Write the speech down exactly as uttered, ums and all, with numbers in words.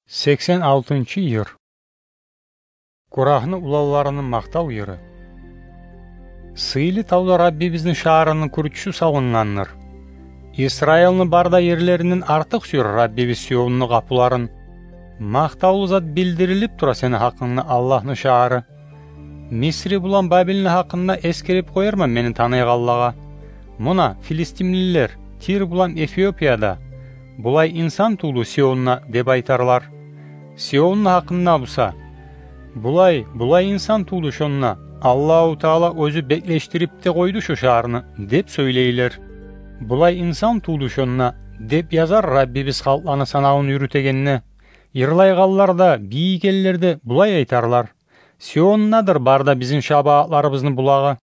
Сексен алтынчы йыр. Курахны уланларыны макътав йыры. Сыйлы тавда Раббибизни шагьарыны кюрчюсю салынгъандыр. Исраилни бар да ерлеринден артыкъ сюер Раббибиз Сионну къапуларын. Макътавлу зат билдирилип тура сени гьакъынгда, Аллагьны шагьары. Мисри булан Бабилни гьакъында эсгерип къоярман мени таныйгъанлагъа. Муна, филистимлилер Тир булан Эфиопияда: «Булай инсан тувду Сионда», — деп айтарлар. Сионну гьакъында буса: «Булай, булай инсан тувду шонда, Аллагьу Таала оьзю беклешдирип де къойду шо шагьарны», — деп сёйлейлер. «Булай инсан тувду шонда», — деп язар Раббибиз халкъланы санавун юрютегенде. Йырлайгъанлар да, бийигенлер де булай айтарлар: «Сиондадыр бар да бизин шабаатларыбызны булагъы».